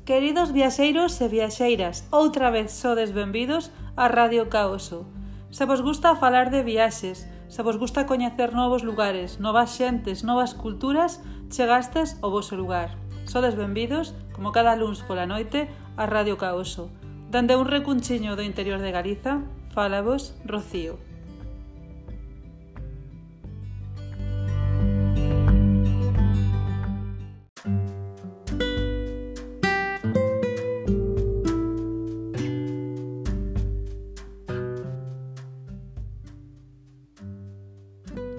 Queridos viaxeiros e viaxeiras, outra vez sodes benvidos a Radio Caoso. Se vos gusta falar de viaxes, se vos gusta coñecer novos lugares, novas xentes, novas culturas, chegastes ao voso lugar. Sodes benvidos, como cada luns pola noite, a Radio Caoso. Dende un recunchiño do interior de Galiza, fálavos Rocío.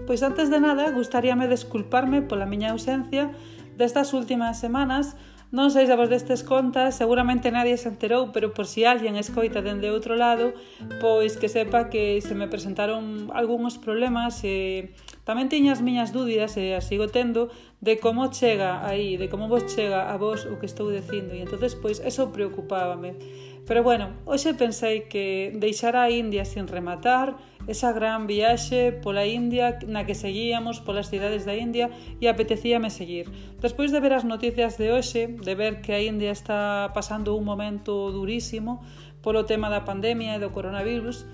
Pois antes de nada, gustaríame desculparme pola miña ausencia destas últimas semanas. Non sei se vos destes contas, seguramente nadie se enterou, pero por si alguén escoita dende outro lado, pois que sepa que se me presentaron algúns problemas e tamén tiña as miñas dúbidas, e as sigo tendo, de como chega aí, de como vos chega a vos o que estou dicindo, e entonces pois eso preocupábame. Pero bueno, hoxe pensei que deixar a India sin rematar, esa gran viaxe pola India na que seguíamos polas cidades da India, e apetecíame seguir. Despois de ver as noticias de hoxe, de ver que a India está pasando un momento durísimo polo tema da pandemia e do coronavirus,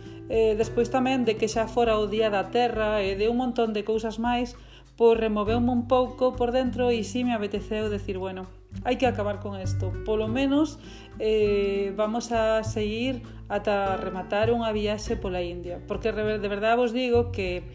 despois tamén de que xa fora o Día da Terra e de un montón de cousas máis, pois removeume un pouco por dentro e si me apeteceu decir, bueno, hai que acabar con isto. Polo menos vamos a seguir ata rematar unha viaxe pola India, porque de verdade vos digo que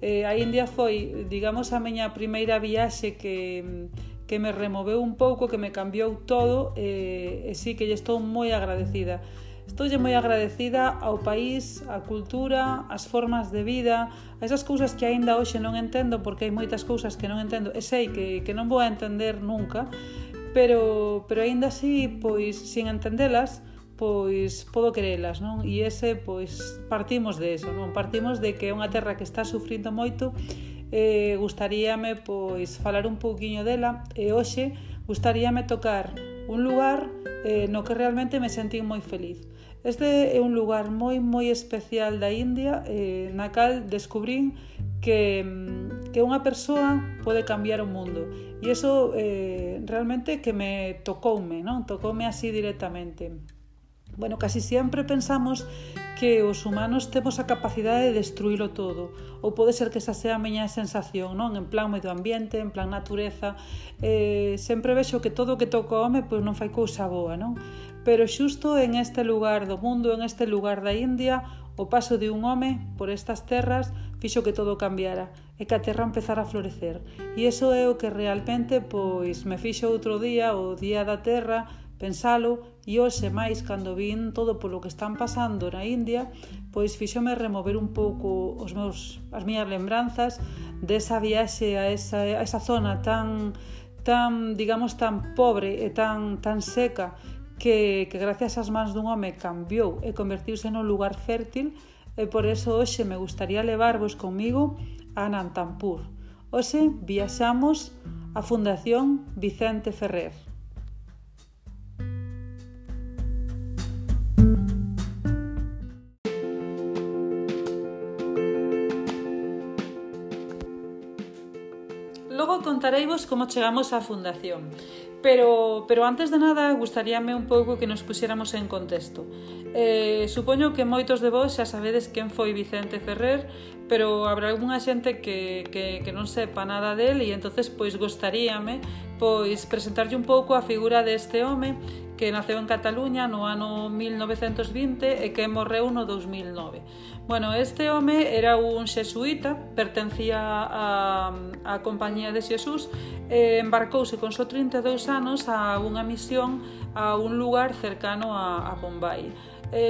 a India foi, digamos, a miña primeira viaxe que me removeu un pouco, que me cambiou todo, e sí que lle estou moi agradecida. Estoulle moi agradecida ao país, á cultura, ás formas de vida, a esas cousas que aínda hoxe non entendo, porque hai moitas cousas que non entendo e sei que non vou a entender nunca, pero aínda así, pois, sin entendelas, pois podo querelas, non? E ese, pois, partimos de eso, non? Partimos de que é unha terra que está sufrindo moito, gustaríame, pois, falar un pouquiño dela, e hoxe gustaríame tocar un lugar no que realmente me sentín moi feliz. Este é un lugar moi especial da India, na cal descubrín que unha persoa pode cambiar o mundo. E iso realmente que me tocoume, non? Tocoume así directamente. Bueno, casi sempre pensamos que os humanos temos a capacidade de destruílo todo, ou pode ser que esa sea a miña sensación, non? En plan medio ambiente, en plan natureza, sempre vexo que todo o que toca o home pois non fai cousa boa, non? Pero xusto en este lugar do mundo, en este lugar da India, o paso de un home por estas terras fixo que todo cambiara e que a terra empezara a florecer. E iso é o que realmente pois me fixo outro día, o Día da Terra, pensalo, e hoxe máis cando vin todo polo que están pasando na India, pois fíxome remover un pouco as miñas lembranzas desa viaxe a esa zona tan digamos, tan pobre e tan seca que gracias ás mans dun home cambiou e convertiuse nun lugar fértil, e por eso hoxe me gustaría levarvos comigo a Anantapur. Hoxe viaxamos á Fundación Vicente Ferrer. Logo contareivos como chegamos á fundación, pero antes de nada gustaríame un pouco que nos puxéramos en contexto. Supoño que moitos de vos xa sabedes quen foi Vicente Ferrer, pero habrá algunha xente que non sepa nada del, e entonces pois gostaríame pois presentarlle un pouco a figura deste home que naceu en Cataluña no ano 1920 e que morreu no 2009. Bueno, este home era un xesuíta, pertencía á Compañía de Xesús, e embarcouse con só 32 anos a unha misión a un lugar cercano a Bombay.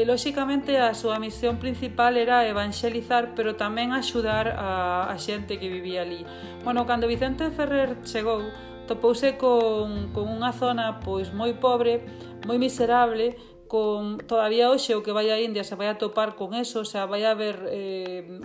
Lóxicamente, a súa misión principal era evanxelizar, pero tamén axudar a xente que vivía ali. Bueno, cando Vicente Ferrer chegou, topouse con unha zona pois moi pobre, moi miserable, todavía hoxe o que vai a India se vai a topar con eso, o sea, vai a haber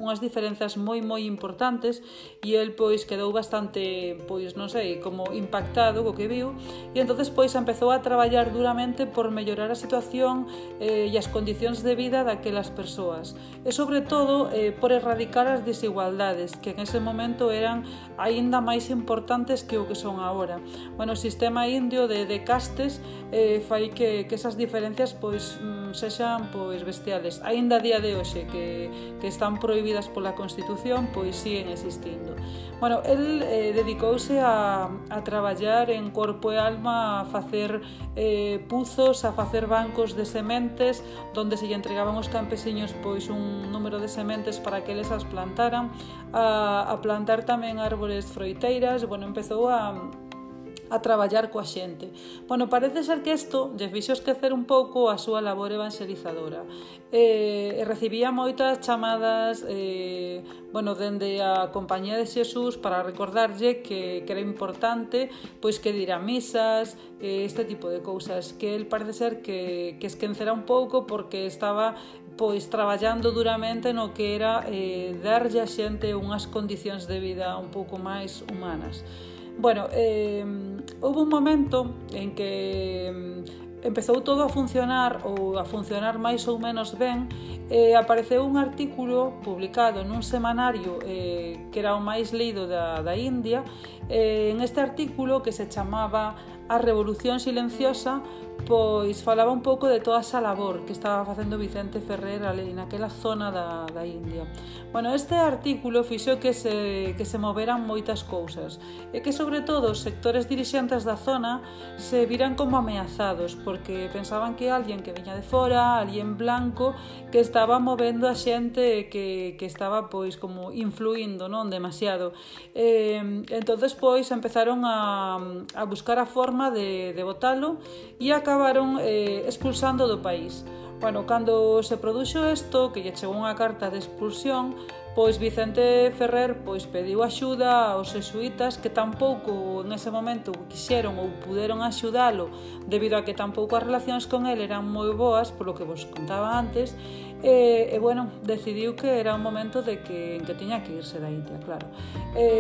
unhas diferenzas moi importantes, e el pois quedou bastante, pois non sei, como impactado co que viu, e entonces pois empezou a traballar duramente por mellorar a situación e as condicións de vida daquelas persoas, e sobre todo por erradicar as desigualdades que en ese momento eran aínda máis importantes que o que son agora. Bueno, o sistema indio de castes fai que esas diferencias pois sexan pois bestiales. Aínda a día de hoxe que están prohibidas pola Constitución, pois siguen existindo. Bueno, el dedicouse a traballar en corpo e alma, a facer puzos, a facer bancos de sementes donde se lle entregaban aos campesiños pois un número de sementes para que eles as plantaran, a plantar tamén árbores froiteiras. Bueno, empezou a traballar coa xente. Bueno, parece ser que isto lle fixo esquecer un pouco a súa labor evangelizadora. Recibía moitas chamadas dende a Compañía de Xesús para recordarlle que era importante pois que dira misas, este tipo de cousas, que el parece ser que esquecera un pouco porque estaba pois traballando duramente no que era darlle a xente unhas condicións de vida un pouco máis humanas. Bueno, houve un momento en que empezou todo a funcionar máis ou menos ben. Apareceu un artículo publicado nun semanario que era o máis lido da India. En este artículo, que se chamaba A Revolución Silenciosa, pois falaba un pouco de toda esa labor que estaba facendo Vicente Ferrer ali naquela zona da India. Bueno, este artículo fixo que se moveran moitas cousas e que sobre todo os sectores dirixentes da zona se viran como ameazados porque pensaban que alguén que viña de fora, alguén blanco, que estaba movendo a xente que estaba pois como influindo, non demasiado. Entonces pois empezaron a buscar a forma de botalo e acabaron expulsando do país. Bueno, cando se produxo isto, que lle chegou unha carta de expulsión, pois Vicente Ferrer pois pediu axuda aos xesuítas, que tampouco en ese momento quixeron ou puderon axudalo debido a que tampouco as relacións con el eran moi boas, polo que vos contaba antes, bueno, decidiu que era un momento en que tiña que irse da India, claro.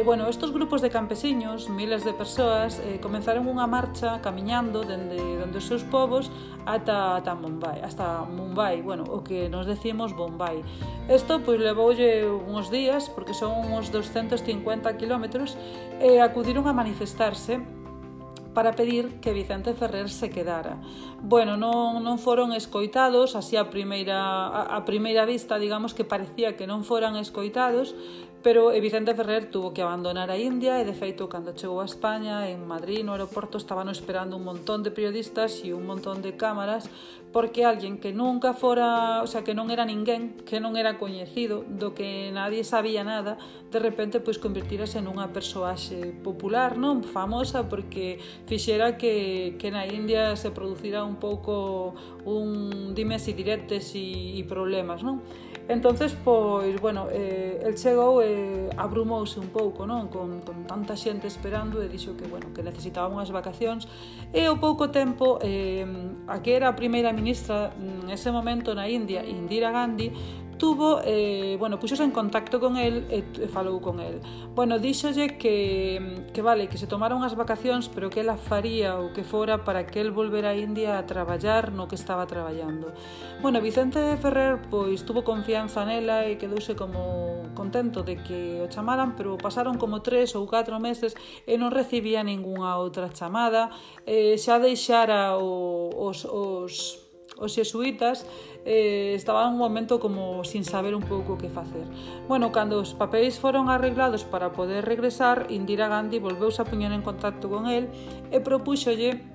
Bueno, estos grupos de campesiños, miles de persoas, comenzaron unha marcha camiñando dende os seus povos hasta Mumbai, bueno, o que nos decimos Bombay. Isto pois levoulle uns días, porque son uns 250 kilómetros, e acudiron a manifestarse para pedir que Vicente Ferrer se quedara. Bueno, non foron escoitados, así a primeira vista, digamos que parecía que non foran escoitados, pero Vicente Ferrer tuvo que abandonar a India e, de feito, cando chegou a España, en Madrid, no aeroporto, estaban esperando un montón de periodistas e un montón de cámaras, porque alguén que nunca fora, o sea, que non era ninguén, que non era coñecido, do que nadie sabía nada, de repente, pois, convertirase nunha persoaxe popular, non? Famosa, porque fixera que na India se producira un pouco un dimes e diretes e problemas, non? Entonces, pois, bueno, el chegou e abrumouse un pouco, non? Con tanta xente esperando, e dixo que, bueno, que necesitaba unhas vacacións, e ao pouco tempo a que era a primeira ministra en ese momento na India, Indira Gandhi, puxose en contacto con el e falou con el. Bueno, díxolle que vale, que se tomara unhas vacacións, pero que ela faría o que fora para que el volvera a India a traballar no que estaba traballando. Bueno, Vicente Ferrer pois tuvo confianza nela e quedouse como contento de que o chamaran, pero pasaron como 3 ou 4 meses e non recibía ningunha outra chamada. Xa deixara os xesuítas, estaba en un momento como sin saber un pouco que facer. Bueno, cando os papéis foron arreglados para poder regresar, Indira Gandhi volveuse a poñer en contacto con el e propúxolle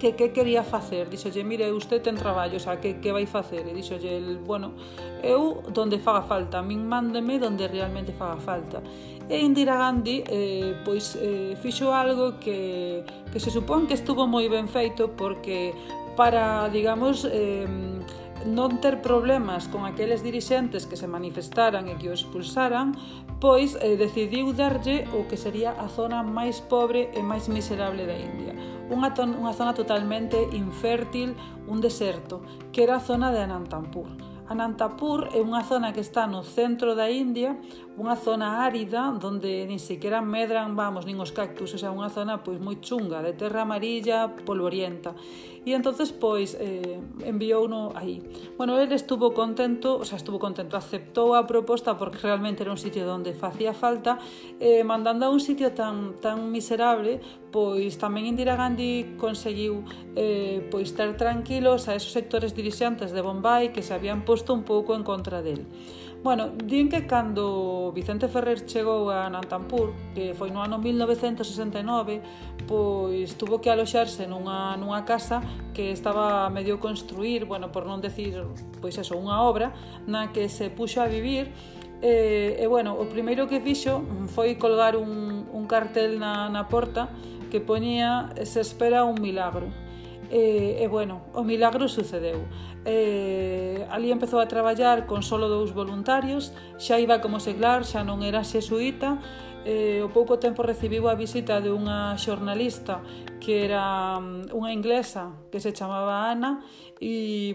que quería facer. Dixolle, mire, usted ten traballo, o sea, que vai facer? E dixolle, bueno, eu donde faga falta, a min mándeme donde realmente faga falta. E Indira Gandhi fixo algo que se supón que estuvo moi ben feito, porque para, digamos, non ter problemas con aqueles dirixentes que se manifestaran e que o expulsaran, pois decidiu darlle o que sería a zona máis pobre e máis miserable da India. Unha zona totalmente infértil, un deserto, que era a zona de Anantapur. Anantapur é unha zona que está no centro da India, unha zona árida onde nin sequera medran, nin os cactus, o sea, unha zona pois moi chunga, de terra amarilla, polvorienta. E entonces pois enviouno aí. Bueno, ele estuvo contento, aceptou a proposta porque realmente era un sitio onde facía falta, mandando a un sitio tan miserable, pois tamén Indira Gandhi conseguiu pois ter tranquilos a esos sectores dirixentes de Bombay que se habían posto un pouco en contra del. Bueno, din que cando Vicente Ferrer chegou a Anantapur, que foi no ano 1969, pois tuvo que aloxarse nunha casa que estaba a medio construir, por non decir, unha obra, na que se puxo a vivir. O primeiro que fixo foi colgar un cartel na porta que poñía "Se espera un milagro". O milagro sucedeu. Ali empezou a traballar con solo 2 voluntarios, xa iba como seglar, xa non era xesuíta. Ao pouco tempo recibiu a visita de unha xornalista que era unha inglesa que se chamaba Ana e,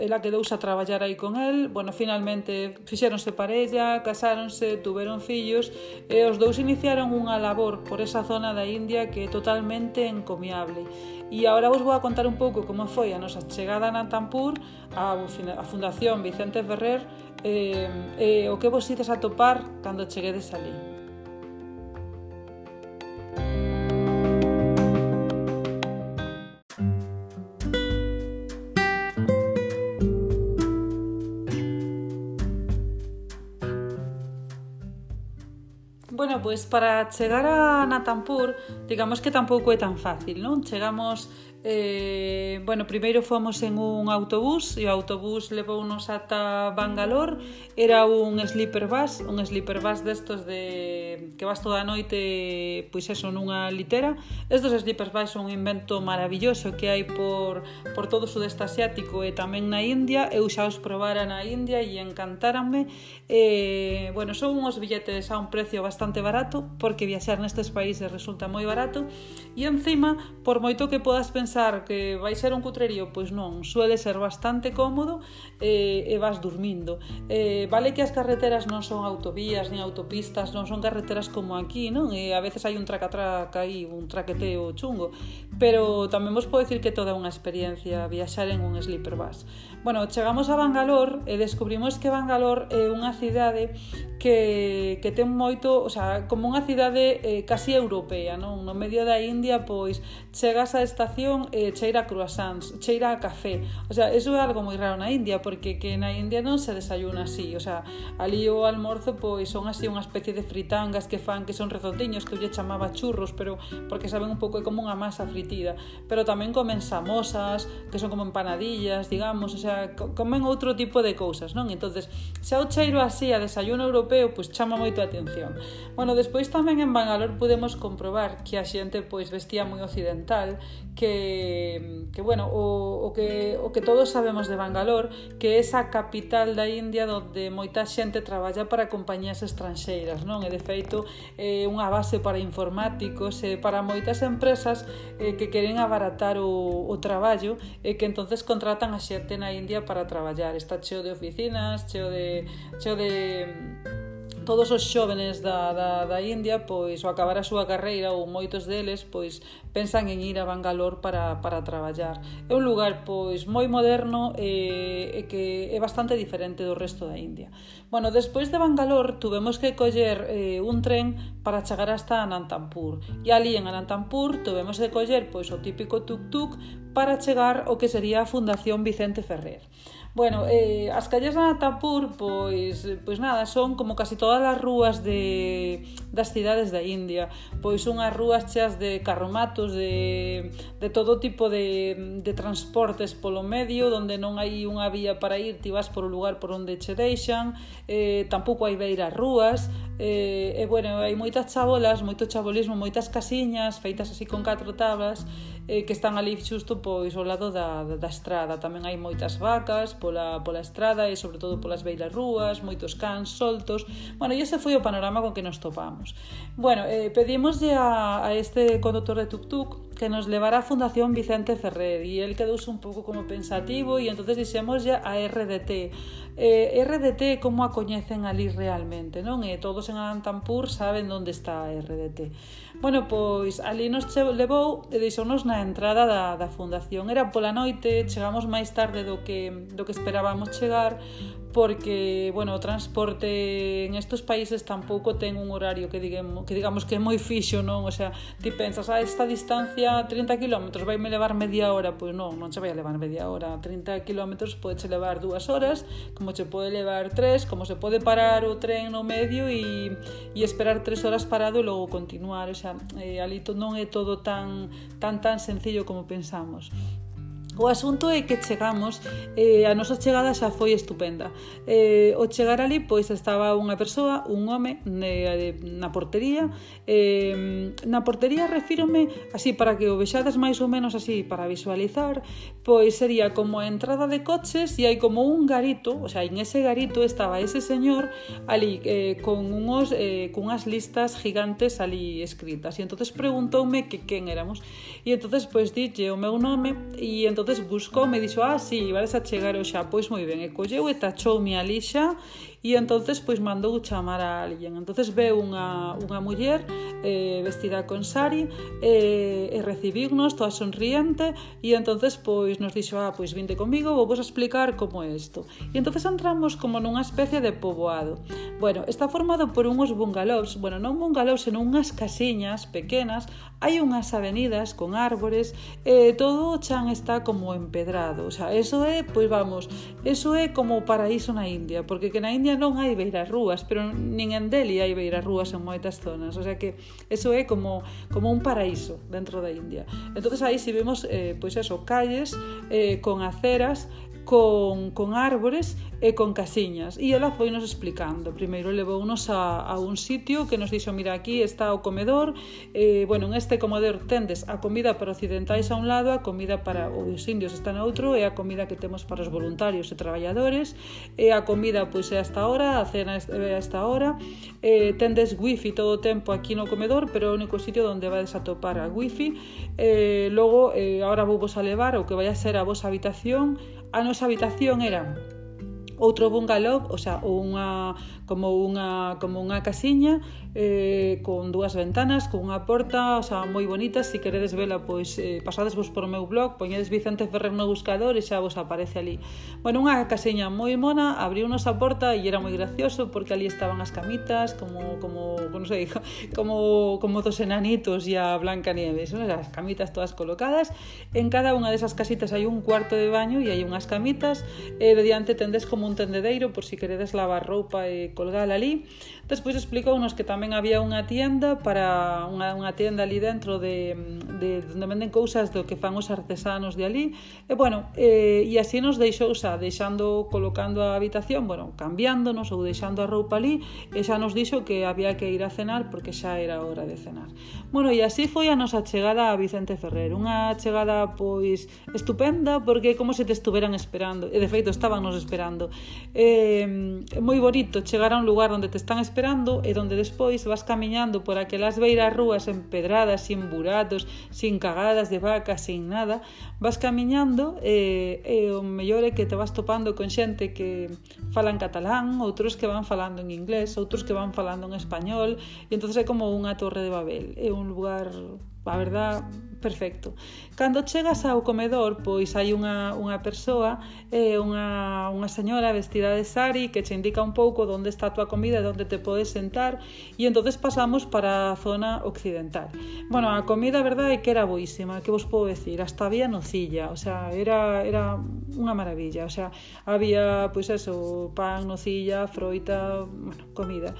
ela quedouse a traballar aí con el. Finalmente fixéronse parella, casáronse, tuveron fillos e os dous iniciaron unha labor por esa zona da India que é totalmente encomiable. E agora vos vou a contar un pouco como foi a nosa chegada a Anantapur, a Fundación Vicente Ferrer, o que vos ides a topar cando cheguedes ali. Pois para chegar a Anantapur, digamos que tampouco é tan fácil, non? Chegamos, primeiro fomos en un autobús e o autobús levounos ata Bangalore. Era un sleeper bus destos de que vas toda a noite, nunha litera. Estos sleeper bus son un invento maravilloso que hai por todo o sudeste asiático e tamén na India. Eu xa os probara na India e encantáranme. Son uns billetes a un precio bastante barato, porque viaxar nestes países resulta moi barato, e encima, por moito que podas pensar que vai ser un cutrerío, pois non, suele ser bastante cómodo e vas dormindo. Vale que as carreteras non son autovías ni autopistas, non son carreteras como aquí, non? E a veces hai un traca-traca aí, un traqueteo chungo, pero tamén vos podo dicir que toda unha experiencia viaxar en un sleeper bus. Chegamos a Bangalore e descubrimos que Bangalore é unha cidade que ten moito, como unha cidade casi europea, non? No medio da India, pois chegas á estación e cheira a croissants, cheira a café. Eso é algo moi raro na India, porque que na India non se desayuna así. Ali o almorzo pois son así unha especie de fritangas que fan, que son redondiños, que eu lle chamaba churros, pero porque saben un pouco como unha masa fritida. Pero tamén comen samosas, que son como empanadillas, digamos, comen outro tipo de cousas, non? Entonces, xa o cheiro así a desayuno europeo, pois chama moito a atención. Despois tamén en Bangalore podemos comprobar que a xente pois vestía moi occidental, que o que todos sabemos de Bangalore, que é esa capital da India onde moita xente traballa para compañías estranxeiras, non? E de feito é unha base para informáticos e para moitas empresas que queren abaratar o traballo e que entonces contratan a xente na India para traballar. Está cheo de oficinas, cheo de todos os xóvenes da India, pois ao acabar a súa carreira, ou moitos deles, pois pensan en ir a Bangalore para traballar. É un lugar pois moi moderno e que é bastante diferente do resto da India. Despois de Bangalore tuvemos que coller un tren para chegar hasta Anantapur. E ali en Anantapur tuvemos que coller pois o típico tuk-tuk para chegar ao que sería a Fundación Vicente Ferrer. As calles de Anantapur, pois nada, son como casi todas as rúas das cidades da India, pois unhas rúas cheas de carromatos, de todo tipo de transportes polo medio, onde non hai unha vía para ir, ti vas por un lugar por onde che deixan, tampouco hai beiras rúas, hai moitas chabolas, moito chabolismo, moitas casiñas feitas así con 4 tablas, que están ali xusto pois ao lado da estrada. Tamén hai moitas vacas pola estrada e sobre todo polas beiras rúas, moitos cans soltos. Bueno, e ese foi o panorama con que nos topamos. Bueno, pedimoslle a este conductor de tuk-tuk que nos levara a Fundación Vicente Ferrer e el quedouse un pouco como pensativo e entonces dixémoslle a RDT. RDT como a coñecen ali realmente, non? E todos en Antampur saben onde está a RDT. Bueno, pois ali nos levou e deixounos na entrada da fundación. Era pola noite, chegamos máis tarde do que esperábamos chegar, porque, bueno, o transporte en estes países tampouco ten un horario que digamos que é moi fixo, non? O sea, ti pensas, esta distancia 30 km vaime levar media hora, pois non che vai a levar media hora. 30 km podeche levar 2 horas, como che pode levar 3, como se pode parar o tren no medio e esperar 3 horas parado e logo continuar. O sea, ali non é todo tan sencillo como pensamos. O asunto é que chegamos, a nosa chegada xa foi estupenda. O chegar ali, pois estaba unha persoa, un home, na portería. Na portería refírome, así para que o vexades máis ou menos así, para visualizar, pois sería como a entrada de coches e hai como un garito, o sea, en ese garito estaba ese señor ali con unhas listas gigantes ali escritas. E entonces preguntoume que quen éramos. E entonces pois dille o meu nome e entonces buscou, me dixo, sí, vais a chegar xa, pois moi ben, e colleu e tachoume ali xa e entonces pois mandou chamar a alguén. Entonces veu unha muller vestida con sari e recibirnos toda sonriente e entonces pois nos dixo, pois vinte comigo, vou vos explicar como é isto. E entonces entramos como nunha especie de poboado. Bueno, está formado por unhos bungalows, bueno, non bungalows, senón unhas casiñas pequenas, hai unhas avenidas con árbores, todo o chan está como empedrado, o sea, eso é, pois vamos, eso é como o paraíso na India, porque que na India non hai beiras rúas, pero nin en Delhi hai beiras rúas en moitas zonas, o sea que eso é como un paraíso dentro da India. Entonces aí si vemos, pois eso, calles con aceras, con árbores e con casiñas, e ela foi nos explicando. Primeiro levounos a un sitio que nos dixo, mira, aquí está o comedor, bueno, en este comedor tendes a comida para occidentais a un lado, a comida para os indios está no outro, e a comida que temos para os voluntarios e traballadores, e a comida pois é hasta ahora, a cena é hasta ahora, tendes wifi todo o tempo aquí no comedor, pero é o único sitio onde vais a topar a wifi. Logo, agora vou vos a levar o que vai a ser a vosa habitación. A nosa habitación era outro bungalow, o sea, como unha casiña con dúas ventanas, con unha porta, o sea, moi bonita. Se queredes vela, pois pasadesvos por o meu blog, poñedes Vicente Ferrer no buscador e xa vos aparece ali. Bueno, unha casiña moi mona, abriunos a porta e era moi gracioso porque ali estaban as camitas como non sei, como dos enanitos e a Blancanieves, ¿no? As camitas todas colocadas. En cada unha desas casitas hai un cuarto de baño e hai unhas camitas, de diante tendes como un tendedeiro por si queredes lavar roupa e colgala ali. Despois explicounos que tamén había unha tienda para unha tienda ali dentro de onde venden cousas do que fan os artesanos de ali. E bueno, e así nos deixou xa colocando a habitación, bueno, cambiándonos ou deixando a roupa ali, e xa nos dixo que había que ir a cenar porque xa era hora de cenar. Bueno, e así foi a nosa chegada a Vicente Ferrer, unha chegada pois estupenda porque é como se te estuveran esperando, e de feito estábamos esperando. Moi bonito chegar a un lugar onde te están esperando e onde despois vas camiñando por aquelas beiras rúas empedradas, sin buratos, sin cagadas de vaca, sin nada, vas camiñando e o mellor é que te vas topando con xente que falan catalán, outros que van falando en inglés, outros que van falando en español, e entonces é como unha torre de Babel, é un lugar, a verdad, perfecto. Cando chegas ao comedor, pois hai unha persoa, unha señora vestida de sari que che indica un pouco onde está a tua comida e onde te podes sentar, e entonces pasamos para a zona occidental. Bueno, a comida, a verdade, é que era boísima, que vos podo decir, hasta había nocilla, o sea, era unha maravilla, o sea, había, pois eso, pan, nocilla, froita, bueno, comida.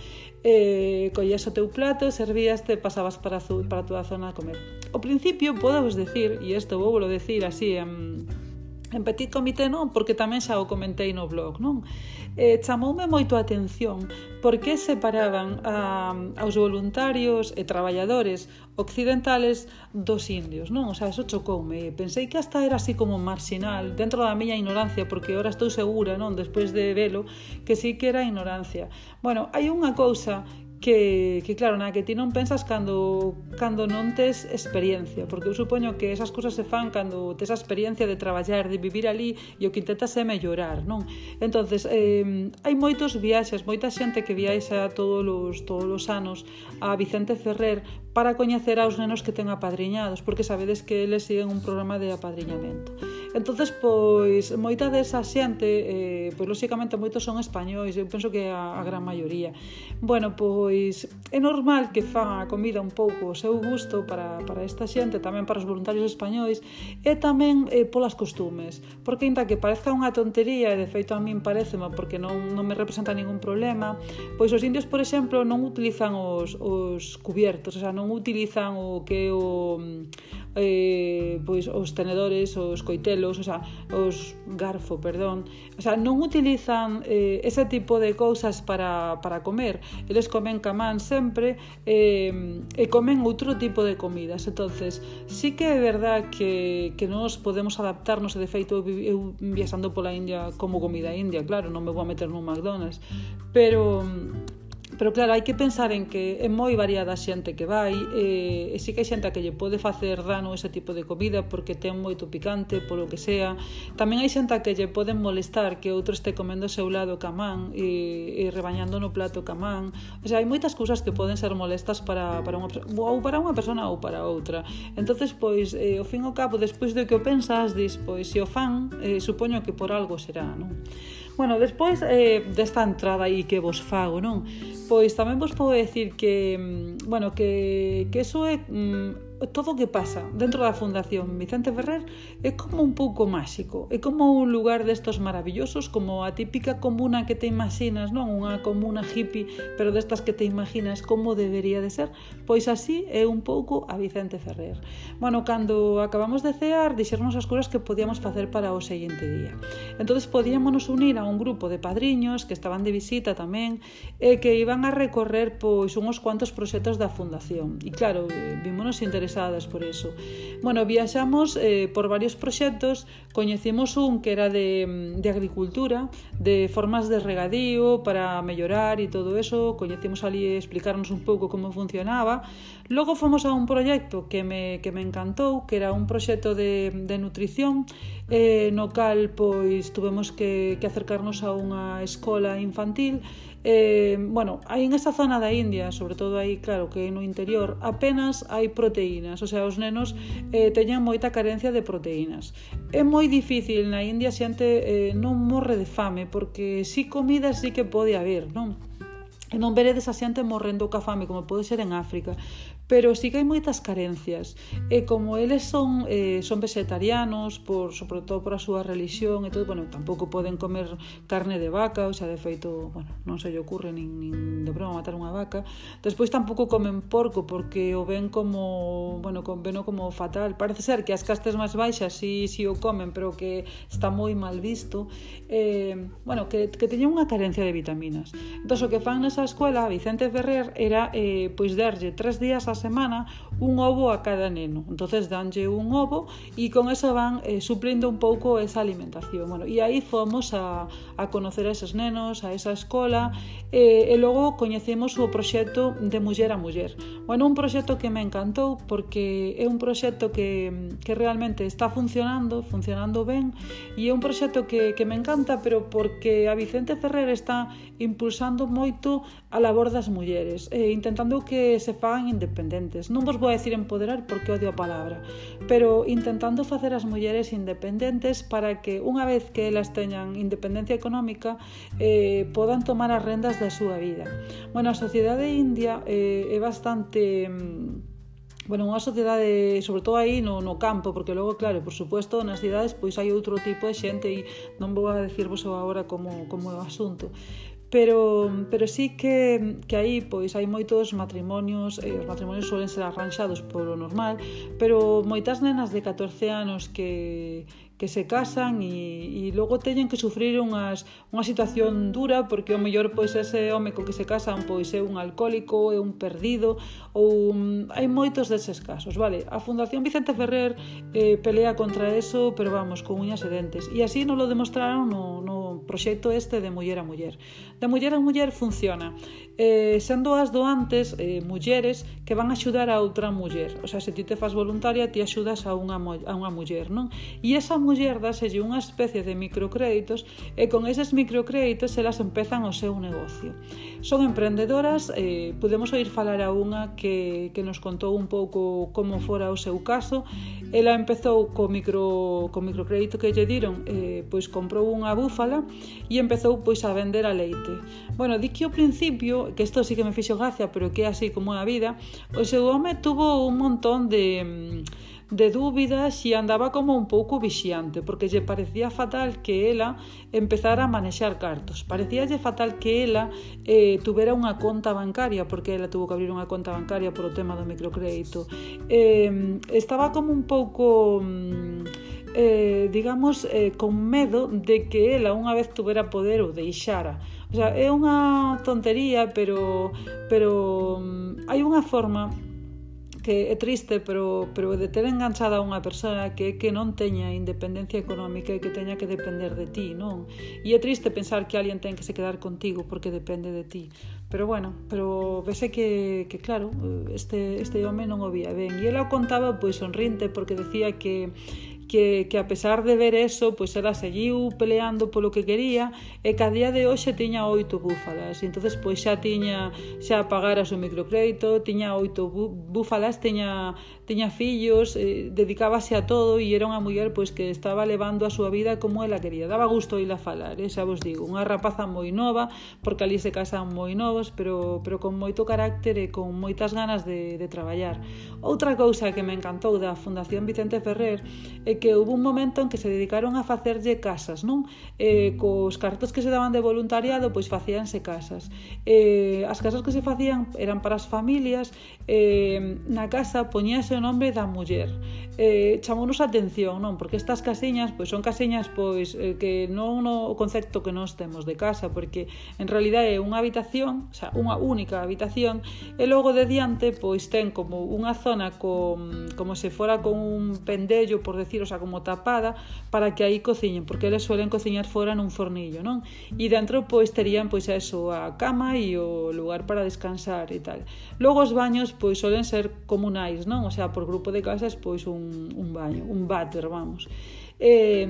Collías o teu plato, servíaste, pasabas para a túa zona a comer. Ao principio, podemos decir, e isto vou decir así en En petit comité non, porque tamén xa o comentei no blog, non? Chamoume moito a atención porque separaban aos voluntarios e traballadores occidentales dos indios, non? O sea, eso chocoume. Pensei que hasta era así como marginal, dentro da miña ignorancia, porque ahora estou segura, non, despois de velo, que sí que era ignorancia. Bueno, hai unha cousa que claro, na que ti non pensas cando non tes experiencia, porque eu supoño que esas cousas se fan cando tes a experiencia de traballar, de vivir ali, e o que intentas é mellorar, non? Entonces, hai moitos viaxes, moita xente que viaxa todos os anos a Vicente Ferrer para coñecer aos nenos que ten apadriñados, porque sabedes que eles siguen un programa de apadriñamento. Entonces, pois, moita desa xente, pois, lóxicamente, moitos son españois, eu penso que a gran maioría. Bueno, pois, é normal que fan a comida un pouco o seu gusto para esta xente, tamén para os voluntarios españois, e tamén polas costumes. Porque, ainda que parezca unha tontería, e de feito a min parecema, porque non me representa ningún problema, pois os indios, por exemplo, non utilizan os cubiertos, o sea, non utilizan o que pois os tenedores, os coitelos, o sea, os garfo, perdón, o sea, non utilizan ese tipo de cousas para comer. Eles comen camán sempre e comen outro tipo de comidas. Entonces, sí que é verdad que nós podemos adaptarnos, e de feito eu viaxando pola India como comida india, claro, non me vou a meter nun McDonald's, pero claro, hai que pensar en que é moi variada a xente que vai, e sí que hai xente a que lle pode facer dano ese tipo de comida porque ten moito picante, polo que sea. Tamén hai xente a que lle poden molestar que outro este comendo ao seu lado camán e rebañando no plato camán. O sea, hai moitas cousas que poden ser molestas para unha persona ou para outra. Entonces, pois, ao fin e ao cabo, despois de que o pensas, dis, pois, se o fan, supoño que por algo será, non? Bueno, despois desta entrada aí que vos fago, non? Pois tamén vos podo decir que, bueno, que eso é todo o que pasa dentro da Fundación Vicente Ferrer é como un pouco máxico, é como un lugar destos maravillosos, como a típica comuna que te imaginas, non? Unha comuna hippie, pero destas que te imaginas como debería de ser, pois así é un pouco a Vicente Ferrer. Bueno, cando acabamos de cear, dixernos as cousas que podíamos facer para o seguinte día. Entonces podíamonos unir a un grupo de padriños que estaban de visita tamén e que iban a recorrer pois uns cuantos proxectos da Fundación. E claro, vímonos interesadas por eso. Bueno, viaxamos por varios proxectos, coñecimos un que era de agricultura, de formas de regadío para mellorar e todo eso, coñecimos ali explicarnos un pouco como funcionaba. Logo fomos a un proxecto que me encantou, que era un proxecto de nutrición, no cal pois tuvemos que acercarnos a unha escola infantil. Bueno, aí en esa zona da India, sobre todo aí, claro, que no interior, apenas hai proteínas, o sea, os nenos teñen moita carencia de proteínas. É moi difícil na India a xente non morre de fame, porque si comida sí que pode haber, non? E non veredes a xente morrendo ca fame como pode ser en África, pero sí que hai moitas carencias, e como eles son vegetarianos, sobre todo por a súa religión e todo, bueno, tampouco poden comer carne de vaca, o sea, de feito, bueno, non se lle ocurre nin de broma matar unha vaca. Despois tampouco comen porco porque o ven como, bueno, veno como fatal. Parece ser que as castes máis baixas sí o comen, pero que está moi mal visto. Bueno, que teñen unha carencia de vitaminas. Entón, o que fan nesa escuela, Vicente Ferrer, era pois darlle 3 días a semana un ovo a cada neno. Entonces danlle un ovo e con eso van suplindo un pouco esa alimentación. Bueno, e aí fomos a conocer a esos nenos, a esa escola, e logo coñecemos o proxecto de Muller a Muller. Bueno, un proxecto que me encantou porque é un proxecto que realmente está funcionando ben, e é un proxecto que me encanta, pero porque a Vicente Ferrer está impulsando moito a labor das mulleres, intentando que se fagan independentes. Non vos vou a decir empoderar porque odio a palabra, pero intentando facer as mulleres independentes para que unha vez que elas teñan independencia económica podan tomar as rendas da súa vida. Bueno, a sociedade india é bastante... Bueno, unha sociedade, sobre todo aí no campo, porque logo, claro, por suposto, nas cidades pois hai outro tipo de xente e non vou a decirvos agora como é o asunto. Pero sí que aí pois hai moitos matrimonios, os matrimonios suelen ser arranxados polo normal, pero moitas nenas de 14 anos que que se casan e logo teñen que sufrir unha situación dura, porque o mellor pois ese home co que se casan pois é un alcohólico, é un perdido, ou hai moitos deses casos, vale? A Fundación Vicente Ferrer pelea contra eso, pero vamos, con uñas e dentes, e así nos lo demostraron no proxecto este de Muller a Muller. De Muller a Muller funciona sendo as doantes mulleres que van a axudar a outra muller, o sea, se ti te fas voluntaria ti axudas a unha muller, non? E esa muller dáselle unha especie de microcréditos e con eses microcréditos elas empezan o seu negocio. Son emprendedoras, podemos oír falar a unha que nos contou un pouco como fora o seu caso. Ela empezou co microcrédito que lle diron, pois comprou unha búfala e empezou pois a vender a leite. Bueno, di que ao principio, que isto sí que me fixo gracia, pero que é así como a vida, o seu home tuvo un montón de dúbidas e andaba como un pouco vixiante, porque lle parecía fatal que ela empezara a manexar cartos, parecíalle fatal que ela tuvera unha conta bancaria, porque ela tuvo que abrir unha conta bancaria por o tema do microcrédito. Estaba como un pouco digamos, con medo de que ela unha vez tuvera poder o deixara. O sea, é unha tontería, pero hai unha forma que é triste, pero de ter enganchada a unha persona que non teña independencia económica e que teña que depender de ti, non? E é triste pensar que alguén ten que se quedar contigo porque depende de ti. Pero bueno, vese que claro, este home non o vía ben. E ela o contaba pois sonrinte, porque decía que a pesar de ver eso, pois ela seguiu peleando polo que quería e que a día de hoxe tiña 8 búfalas, e entonces pois xa pagara o seu microcrédito, tiña 8 búfalas, tiña fillos, dedicábase a todo e era unha muller pois que estaba levando a súa vida como ela quería. Daba gusto ir a falar, xa vos digo, unha rapaza moi nova, porque ali se casan moi novos, pero con moito carácter e con moitas ganas de traballar. Outra cousa que me encantou da Fundación Vicente Ferrer é que houve un momento en que se dedicaron a facerlle casas, non? Cos cartos que se daban de voluntariado, pois facíanse casas. As casas que se facían eran para as familias, na casa poñíase o nome da muller. Chamounos a atención, non? Porque estas casiñas, pois son casiñas pois que non o concepto que nós temos de casa, porque en realidad é unha habitación, o sea, unha única habitación, e logo de diante pois ten como unha zona como se fora con un pendello, por decir, o sea, como tapada, para que aí cociñen, porque eles suelen cociñar fora nun fornillo, non? E dentro pois terían pois eso, a cama e o lugar para descansar e tal. Logo os baños pois suelen ser comunais, non? O sea, por grupo de casas pois un baño, un váter, vamos. E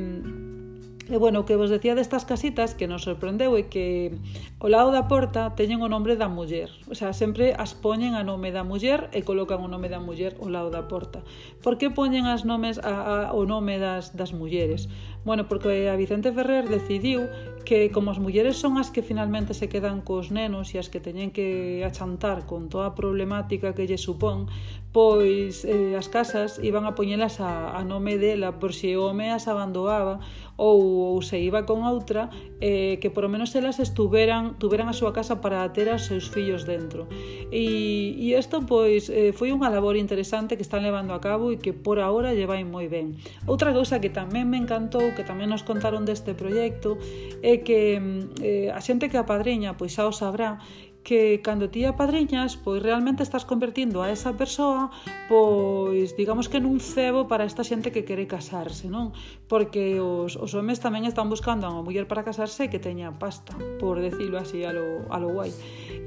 bueno, o que vos decía destas casitas que nos sorprendeu é que ao lado da porta teñen o nome da muller, o sea, sempre as poñen a nome da muller e colocan o nome da muller ao lado da porta. Por que poñen as nomes o nome das mulleres? Bueno, porque a Vicente Ferrer decidiu que como as mulleres son as que finalmente se quedan cos nenos e as que teñen que achantar con toda a problemática que lle supón, pois as casas iban a poñelas a nome dela por se o home as abandoaba ou se iba con outra, que por lo menos elas tuveran a súa casa para ter aos seus fillos dentro. E isto pois foi unha labor interesante que están levando a cabo e que por ahora lle vai moi ben. Outra cousa que tamén me encantou, que tamén nos contaron deste proxecto, é que a xente que apadriña pois xa o sabrá, que cando ti apadriñas, pois realmente estás convertindo a esa persoa, pois digamos que nun cebo para esta xente que quere casarse, non? Porque os homes tamén están buscando a unha muller para casarse que teña pasta, por decirlo así a lo guai.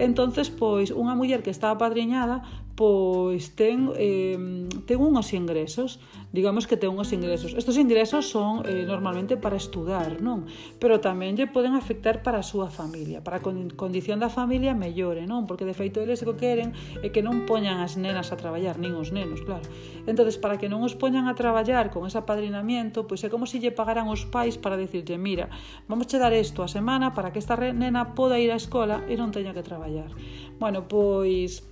Entonces, pois unha muller que está apadriñada, pois ten unhos ingresos, digamos que ten unhos ingresos. Estos ingresos son normalmente para estudar, non? Pero tamén lle poden afectar para a súa familia, para a condición da familia mellore, non? Porque de feito eles o que queren é que non poñan as nenas a traballar, nin os nenos, claro. Entonces, para que non os poñan a traballar con ese apadrinamiento, pois é como se lle pagaran os pais para decirlle, mira, vamos che dar isto a semana para que esta nena poda ir á escola e non teña que traballar. Bueno, pois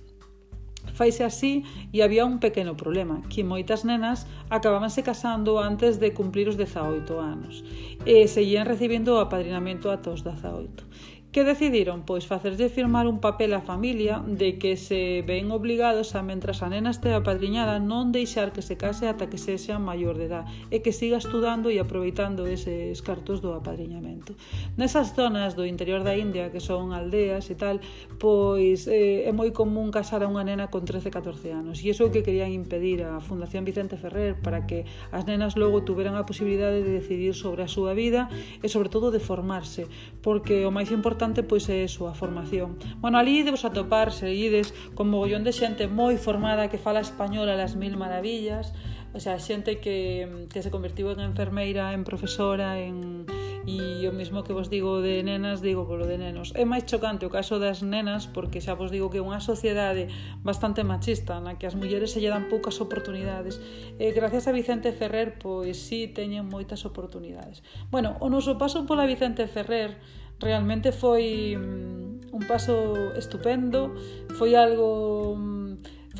faise así e había un pequeno problema, que moitas nenas acabábanse casando antes de cumplir os 18 anos e seguían recibindo o apadrinamento ata os 18. Que decidiron? Pois facerlle firmar un papel á familia de que se ven obligados a, mentras a nena estea apadriñada, non deixar que se case ata que sexa maior de edad e que siga estudando e aproveitando eses cartos do apadriñamento. Nesas zonas do interior da India, que son aldeas e tal, pois é moi común casar a unha nena con 13-14 anos, e iso é o que querían impedir a Fundación Vicente Ferrer, para que as nenas logo tuveran a posibilidade de decidir sobre a súa vida e sobre todo de formarse, porque o máis importante pois é a formación. Bueno, ali debes atopar, se ides, con mogollón de xente moi formada que fala español a las mil maravillas, o sea, xente que se convertiu en enfermeira, en profesora, e o mismo que vos digo de nenas, digo polo de nenos. É máis chocante o caso das nenas, porque xa vos digo que é unha sociedade bastante machista, na que as mulleres se lle dan poucas oportunidades. Gracias a Vicente Ferrer, pois sí, teñen moitas oportunidades. Bueno, o noso paso pola Vicente Ferrer realmente foi un paso estupendo, foi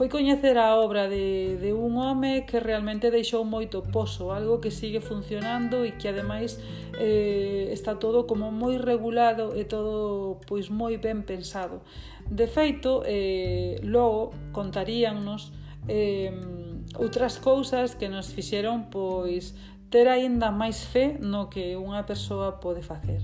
coñecer a obra de un home que realmente deixou moito pozo, algo que sigue funcionando e que ademais está todo como moi regulado e todo pois moi ben pensado. De feito, logo contaríannos outras cousas que nos fixeron pois ter aínda máis fe no que unha persoa pode facer.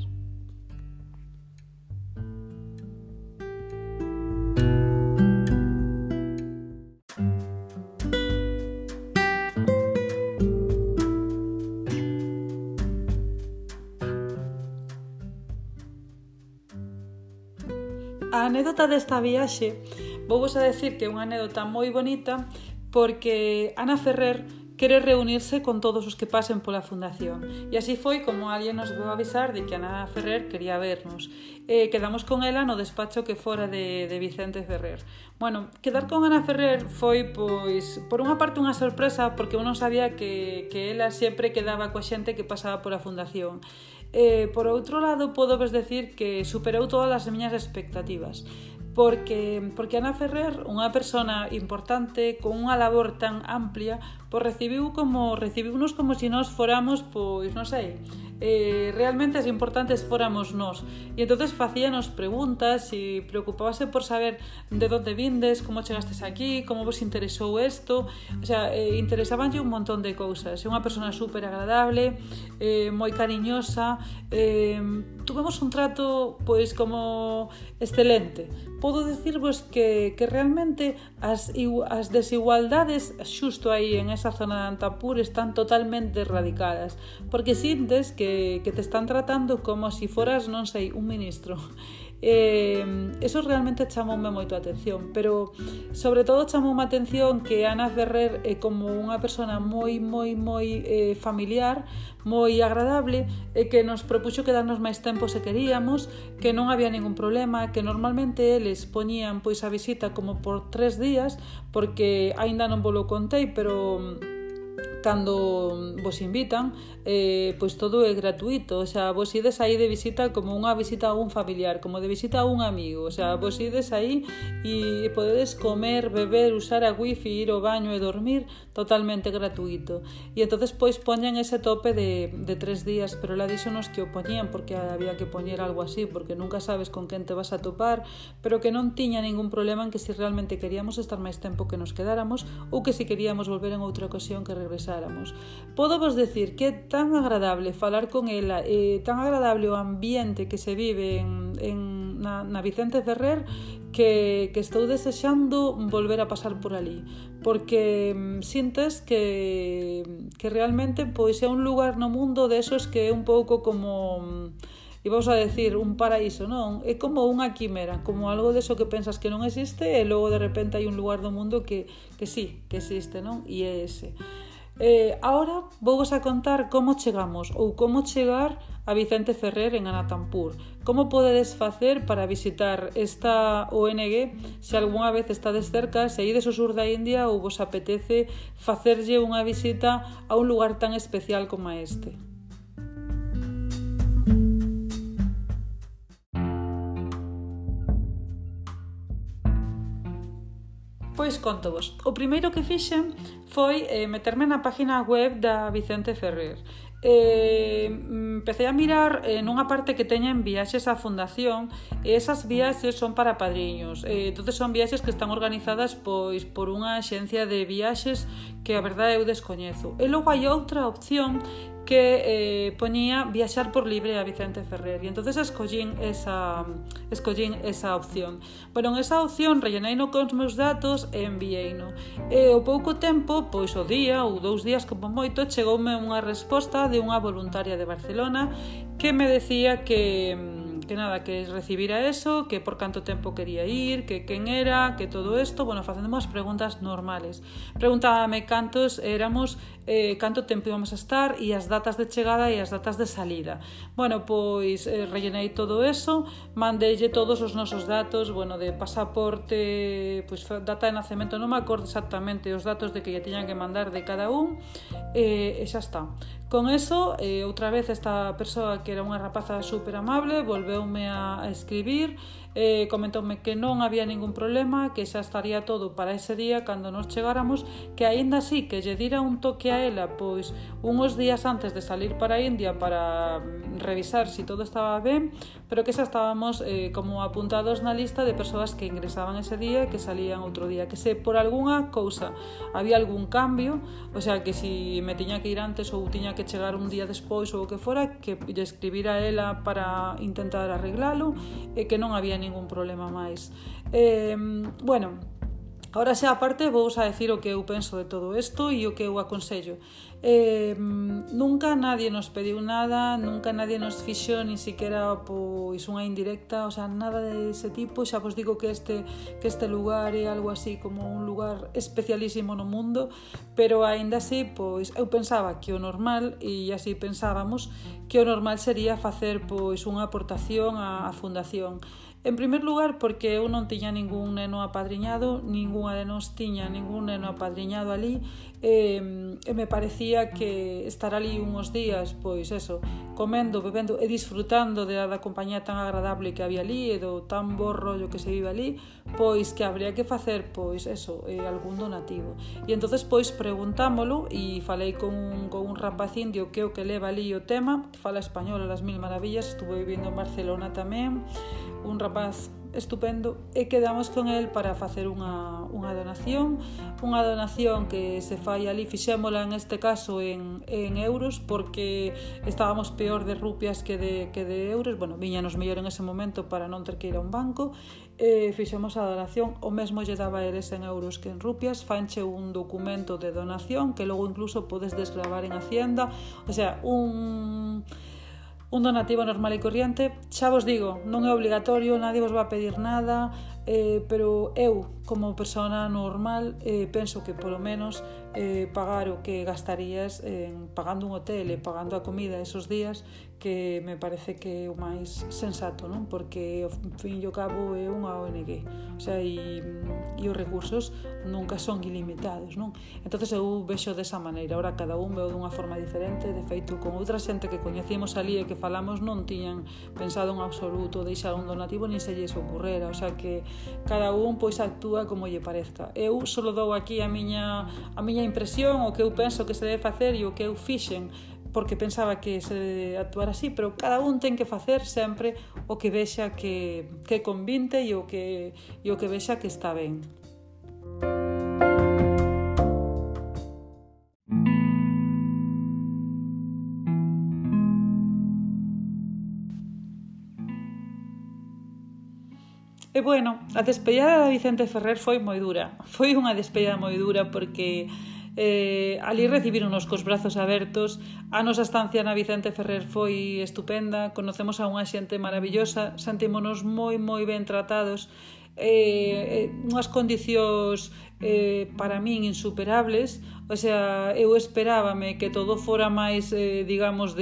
A anécdota desta viaxe, vouvos a decir que é unha anécdota moi bonita, porque Ana Ferrer quere reunirse con todos os que pasen pola Fundación. E así foi como alguén nos veu avisar de que Ana Ferrer quería vernos. Quedamos con ela no despacho que fora de Vicente Ferrer. Bueno, quedar con Ana Ferrer foi, pois, por unha parte unha sorpresa, porque eu non sabía que ela sempre quedaba coa xente que pasaba pola Fundación. Por outro lado, podo vos decir que superou todas as miñas expectativas, porque Ana Ferrer, unha persona importante, con unha labor tan amplia, pois recibiunos como se nós foramos, pois non sei, realmente as importantes fóramos nós. E entonces facíanos preguntas e preocupábase por saber de onde vindes, como chegastes aquí, como vos interesou isto. O sea, interesabanlle un montón de cousas. É unha persona super agradable, moi cariñosa. Tuvemos un trato pois como excelente. Podo dicirvos que realmente as desigualdades xusto aí en esa zona de Anantapur están totalmente erradicadas, porque sintes que te están tratando como si foras, non sei, un ministro. Eso realmente chamoume moito a atención, pero sobre todo chamoume a atención que Ana Ferrer é como unha persona moi familiar, moi agradable, e que nos propuxo quedarnos máis tempo se queríamos, que non había ningún problema, que normalmente eles poñían pois a visita como por 3 días, porque aínda non vos lo contei, pero cando vos invitan, pois todo é gratuito, o sea, vos ides aí de visita como unha visita a un familiar, como de visita a un amigo, o sea, vos ides aí e podedes comer, beber, usar a wifi, ir ao baño e dormir totalmente gratuito. E entonces pois poñen ese tope de 3 días, pero la díxonos que o poñían porque había que poñer algo así, porque nunca sabes con quen te vas a topar, pero que non tiña ningún problema en que si realmente queríamos estar máis tempo que nos quedáramos, ou que si queríamos volver en outra ocasión que regresáramos. Podo vos decir que é tan agradable falar con ela, tan agradable o ambiente que se vive na Vicente Ferrer, que estou desexando volver a pasar por ali, porque sintes que realmente pois é un lugar no mundo desos que é un pouco como, e vamos a decir, un paraíso, non? É como unha quimera, como algo deso que pensas que non existe e logo de repente hai un lugar do mundo que sí, que existe, non? E é ese. Ahora vouvos a contar como chegamos ou como chegar a Vicente Ferrer en Anantapur. Como podedes facer para visitar esta ONG se algunha vez estades cerca, se ides ao sur da India ou vos apetece facerlle unha visita a un lugar tan especial como este. Pois contovos. O primeiro que fixen foi meterme na página web da Vicente Ferrer. empecé a mirar nunha parte que teñen viaxes á fundación, e esas viaxes son para padriños, entonces son viaxes que están organizadas pois por unha axencia de viaxes que a verdade eu descoñezo. E logo hai outra opción que poñía viaxar por libre a Vicente Ferrer, e entonces escollín esa opción. Bueno, en esa opción relleneino con os meus datos e envieino. E ao pouco tempo, pois o día ou 2 días como moito, chegoume unha resposta de unha voluntaria de Barcelona que me decía que recibira eso, que por canto tempo quería ir, que quen era, que todo isto, bueno, facendo unhas preguntas normales. Preguntábame cantos éramos, canto tempo íbamos a estar e as datas de chegada e as datas de salida. Bueno, pois rellenei todo eso, mandeille todos os nosos datos, bueno, de pasaporte, pois data de nacemento, non me acordo exactamente os datos de que lle tiñan que mandar de cada un, e xa está. Con eso, outra vez esta persoa que era unha rapaza super amable volveume a escribir, comentoume que non había ningún problema, que xa estaría todo para ese día cando nos chegáramos, que aínda así que lle dira un toque a ela pois uns días antes de salir para a India para revisar si todo estaba ben, pero que xa estábamos como apuntados na lista de persoas que ingresaban ese día e que salían outro día, que se por algunha cousa había algún cambio, o sea, que si me tiña que ir antes ou tiña que chegar un día despois ou o que fora, que lle escribira a ela para intentar arreglalo, e que non había ningún problema máis. Bueno, ahora xa aparte vou a decir o que eu penso de todo isto e o que eu aconsello. Nunca nadie nos pediu nada, nunca nadie nos fixo ni siquiera pois unha indirecta, o sea, nada de ese tipo. Xa vos digo que este lugar é algo así como un lugar especialísimo no mundo, pero aínda así, pois eu pensaba que o normal, e así pensábamos, que o normal sería facer pois unha aportación á fundación. En primer lugar, porque eu non tiña ningún neno apadriñado, ningunha de nos tiña ningún neno apadriñado ali, e me parecía que estar ali uns días, pois eso, comendo, bebendo e disfrutando da compañía tan agradable que había ali e do tan bo rollo que se vive ali, pois que habría que facer, pois eso, algún donativo. E entonces pois preguntámolo e falei con un rapaz indio que é o que leva ali o tema, que fala español a las mil maravillas, estuvo vivindo en Barcelona tamén, un rapaz estupendo, e quedamos con el para facer unha donación que se fai ali, fixémola en este caso en euros, porque estábamos peor de rupias que de euros, bueno, viñanos mellor en ese momento para non ter que ir a un banco, fixemos a donación, o mesmo lle daba eles en euros que en rupias, fanche un documento de donación que logo incluso podes desgravar en Hacienda, o sea, un donativo normal e corriente. Xa vos digo, non é obligatorio, nadie vos va a pedir nada, pero eu, como persona normal, penso que polo menos pagar o que gastarías pagando un hotel e pagando a comida esos días, que me parece que é o máis sensato, non? Porque ao fin e ao cabo é unha ONG, o sea, e os recursos nunca son ilimitados, non? Entonces eu vexo desa maneira. Ahora cada un veo dunha forma diferente, de feito con outra xente que coñecíamos ali e que falamos non tiñan pensado en absoluto deixar un donativo, nin se lles ocurrera, o sea que cada un pois actúa como lle parezca. Eu só dou aquí a miña impresión, o que eu penso que se debe facer e o que eu fixen, porque pensaba que se debe actuar así, pero cada un ten que facer sempre o que vexa que convinte e o que vexa que está ben. E bueno, a despedida de Vicente Ferrer foi moi dura. Foi unha despedida moi dura porque ali recibíronos cos brazos abertos. A nosa estancia na Vicente Ferrer foi estupenda, conocemos a unha xente maravillosa, sentímonos moi moi ben tratados, unhas condicións para min insuperables, o sea, eu esperábame que todo fora máis, digamos,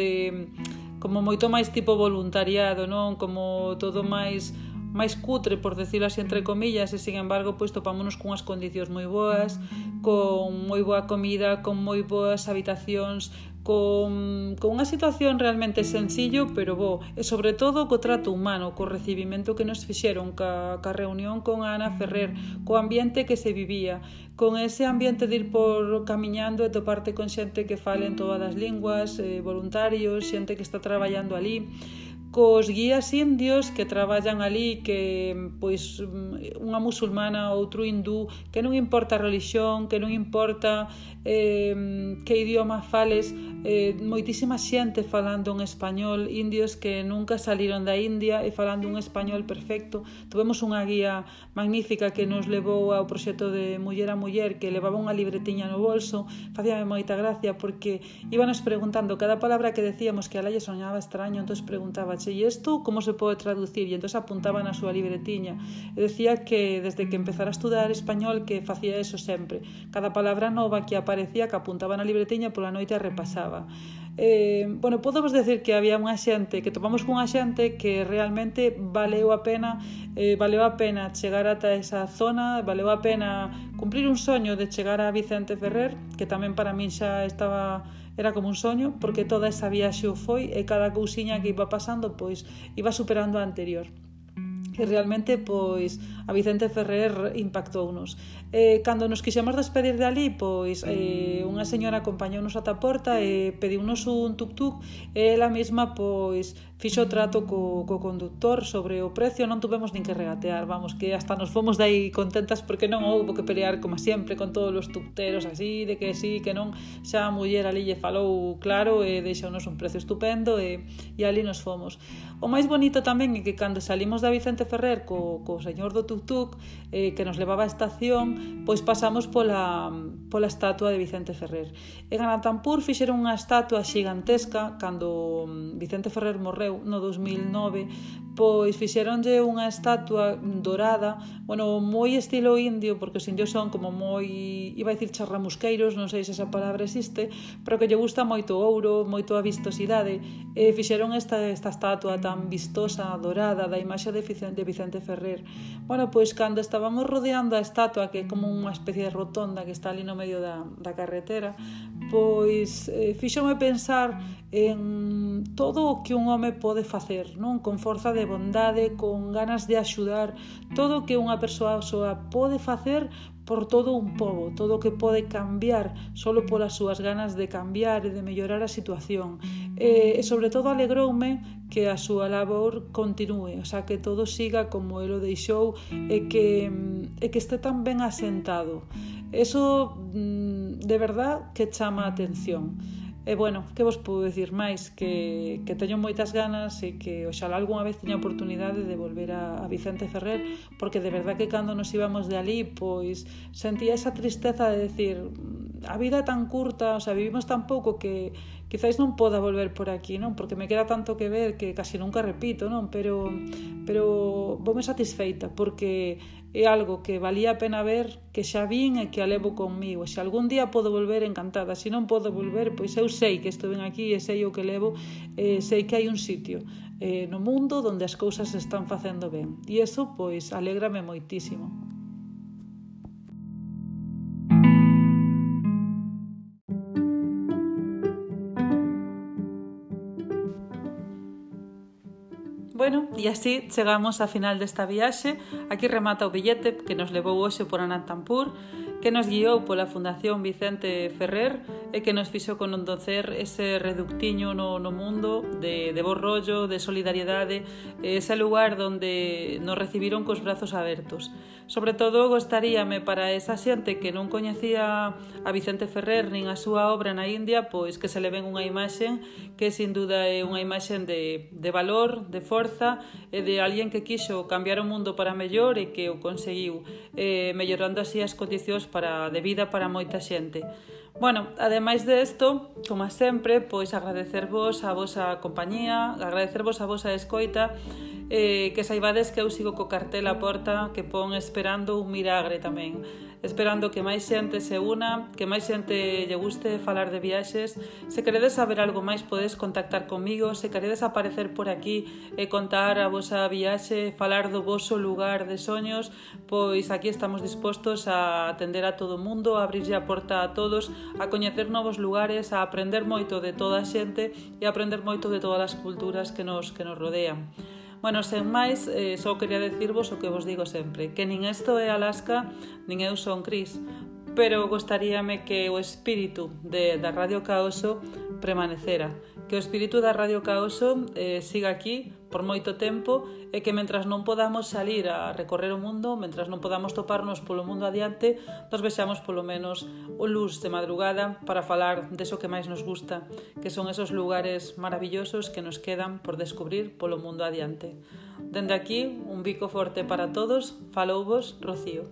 como moito máis tipo voluntariado, non? Como todo máis máis cutre, por decirlo así entre comillas, e sin embargo pois topámonos cunhas condicións moi boas, con moi boa comida, con moi boas habitacións, con unha situación realmente sencillo, pero bo, e sobre todo co trato humano, co recibimento que nos fixeron, ca reunión con Ana Ferrer, co ambiente que se vivía, con ese ambiente de ir por camiñando e toparte con xente que fale en todas as linguas, voluntarios, xente que está traballando ali, cos guías indios que traballan ali, que pois unha musulmana, outro hindú, que non importa a religión, que non importa que idioma fales, moitísima xente falando en español, indios que nunca saliron da India e falando un español perfecto. Tuvemos unha guía magnífica que nos levou ao proxecto de Muller a Muller, que levaba unha libretiña no bolso. Facíame moita gracia porque íbanos preguntando cada palabra que decíamos, que a ela lle soñaba extraño, entón preguntaba: "E isto como se pode traducir?" E entón apuntaba na súa libretiña e decía que desde que empezara a estudar español que facía eso sempre, cada palabra nova que aparecía que apuntaba na libretiña, pola noite a repasaba. Bueno, podemos decir que había unha xente, que topamos cunha xente que realmente valeu a pena chegar ata esa zona, valeu a pena cumprir un soño de chegar a Vicente Ferrer, que tamén para min xa era como un soño, porque toda esa viaxe o foi e cada cousiña que iba pasando pois iba superando a anterior. E realmente pois a Vicente Ferrer impactounos. Cando nos quixemos despedir de ali, pois unha señora acompañounos ata a porta e pediunos un tuk-tuk e ela mesma pois fixo trato co conductor sobre o precio, non tuvemos nin que regatear, vamos, que hasta nos fomos dai contentas porque non houbo que pelear como sempre con todos os tukteros así, de que sí, que non, xa a muller ali lle falou claro e deixounos un precio estupendo e ali nos fomos. O máis bonito tamén é que cando salimos da Vicente Ferrer co señor do tuk-tuk que nos levaba a estación, pois pasamos pola estatua de Vicente Ferrer. En Anantapur fixeron unha estatua xigantesca cando Vicente Ferrer morreu no 2009, pois fixeronlle unha estatua dorada, bueno, moi estilo indio, porque os indios son como moi, iba a dicir charramusqueiros, non sei se esa palabra existe, pero que lle gusta moito o ouro, moito a vistosidade, e fixeron esta estatua tan vistosa, dorada, da imaxe de Vicente Ferrer. Bueno, pois cando estábamos rodeando a estatua, que é como unha especie de rotonda que está ali no medio da carretera, pois fíxome pensar en todo o que un home pode facer, non? Con forza de bondade, con ganas de axudar, todo o que unha persoa pode facer por todo un pobo, todo o que pode cambiar solo polas súas ganas de cambiar e de mellorar a situación. E sobre todo alegroume que a súa labor continúe, o sea, que todo siga como el o deixou e que este tan ben asentado. Eso de verdad que chama a atención. E bueno, que vos podo dicir máis? Que teño moitas ganas e que oxalá algunha vez teña oportunidade de volver a Vicente Ferrer, porque de verdad que cando nos íbamos de ali, pois sentía esa tristeza de decir, a vida é tan curta, o sea, vivimos tan pouco que quizáis non poda volver por aquí, non? Porque me queda tanto que ver que casi nunca repito, non? Pero voume satisfeita, porque é algo que valía a pena ver, que xa vin e que a levo conmigo. Se algún día podo volver, encantada. Se non podo volver, pois eu sei que estou ben aquí e sei o que levo, sei que hai un sitio no mundo onde as cousas se están facendo ben. E iso, pois, alégrame moitísimo. Bueno, e así chegamos a final desta viaxe. Aquí remata o billete que nos levou hoxe por Anantapur, que nos guiou pola Fundación Vicente Ferrer e que nos fixo conocer ese reductiño no mundo de bo rollo, de solidariedade, ese lugar onde nos recibiron cos brazos abertos. Sobre todo, gostaríame para esa xente que non coñecía a Vicente Ferrer nin a súa obra na India, pois que se le ven unha imaxe que sin duda é unha imaxe de valor, de forza e de alguén que quixo cambiar o mundo para mellor e que o conseguiu, mellorando así as condicións de vida para moita xente. Bueno, ademais de isto, como sempre, pois agradecervos a vosa compañía, agradecervos a vosa escoita que saibades que eu sigo co cartel á porta que pon esperando un milagre tamén, esperando que máis xente se una, que máis xente lle guste falar de viaxes. Se queredes saber algo máis podes contactar comigo, se queredes aparecer por aquí e contar a vosa viaxe, falar do voso lugar de soños, pois aquí estamos dispostos a atender a todo o mundo, a abrirlle a porta a todos, a coñecer novos lugares, a aprender moito de toda a xente e a aprender moito de todas as culturas que nos rodean. Bueno, sen máis, só quería decirvos o que vos digo sempre, que nin isto é Alaska, nin eu son Cris, pero gostaríame que o espírito da Radio Caoso permanecera, que o espírito da Radio Caoso siga aquí por moito tempo e que mentras non podamos salir a recorrer o mundo, mentras non podamos toparnos polo mundo adiante, nos vexamos polo menos o luz de madrugada para falar deso que máis nos gusta, que son esos lugares maravillosos que nos quedan por descubrir polo mundo adiante. Dende aquí, un bico forte para todos, falouvos, Rocío.